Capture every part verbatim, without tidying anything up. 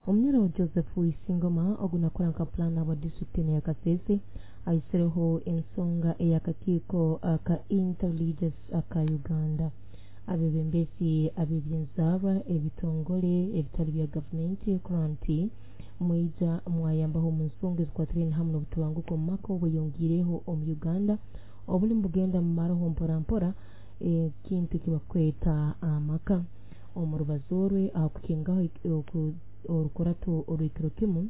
Omunyoro Joseph Isingoma ogu nakora nka planner wa disitulikiti ya Kasese aisireho ensonga ey'akakiiko aka Interreligious aka Uganda. Abebembezi ab'ebyenzaarwa, ebitongole ebitali bya gavumenti kurora nti mwija mwayambaho omu nsonga ezikwatiraine hamu n'obutabanguko omu maka obweyongiireho omu Uganda obuli nibugenda mumaraho mpora mpora ekintu ekibakweta amaka. Omu rubazo rwe aha kukingaho orukurato orw'ekiro kimu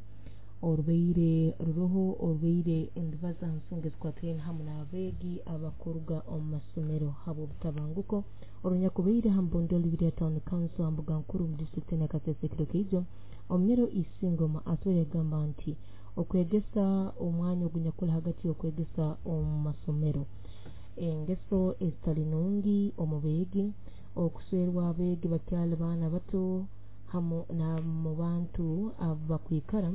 orubaire ruroho orubaire nirubaza ha nsonga ezikwatiraine hamu n'abeegi abakuruga omu masomero habw'obutabanguko orunyakubaire ha Mbondoli Lira Town Council ha mbuga nkuru omu disitulikiti ya Kasese ekiro kiijo. Omunyoro Isingoma atwaire yagamba nti okwegesa omwanya ogunyakuli hagati y'okwegesa omu masomero, engeso ezitali nungi omu beegi, okuswerwa abeegi bakyali baana bato hamu n'omu bantu abakwikara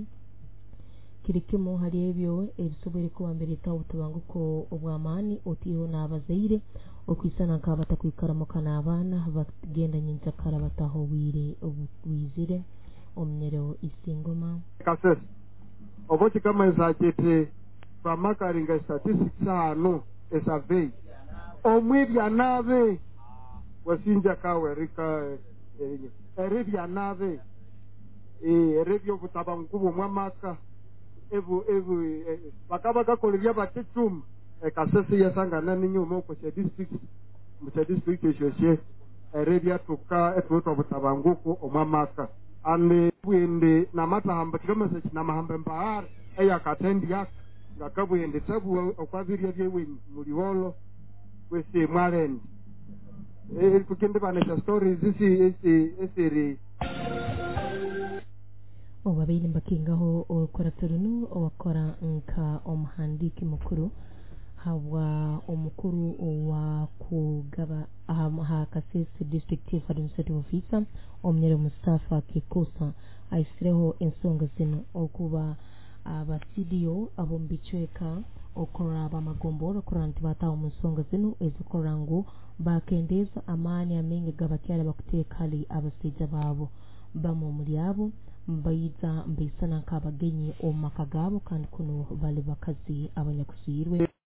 kiri kimu hali ebyo ebisoboire kuba nibireetaho obutabanguko obw'amaani, otiireho n'abazaire okwisana nk'abatakwikara muka n'abaana bagenda nyenkyakara bataha obwire obubwizire. Omunyoro Isingoma Kasese oba kikamanyisa kiti twamakaringa statistics hanu, esurvey omwibya nabe wasinja kawe rika eribya nabe eribya obutabanguko bw'omwamaka ebu ebu bakaba bakakola ebyabaticuma ekasese yasangana n'inyuma okwo kya district mu kya district ekyokye erebyatuka etwetwa obutabanguko omwamaka ande bwende namatahamba kikamanyisa kinamahamba empahara eyakatendi yaka ngakabwende tabu okwabirya byewenyi muliwolo kwesi mwalendi tukendibanesha stories esi esi esiri. Obabaire mbakingaho orukurato runu, owakora nka omuhandiiki mukuru habwa omukuru owa kugaba ha Kasese District Chief Administrative Officer, Omunyoro Mustafa Kikusa, aisireho ensonga zinu okuba aba C D O ab'omu bicweka okurora abamagombora kurora nti bataho omu nsonga zinu ezikurora ngu bakendeeza amaani amaingi g'abakyara bakuteeka hali abasaija baabo. Bamwe omuli abo mbaija mbaisana nk'abagenyi omu maka gaabo kandi kunu bali bakazi abanyakuswirwe.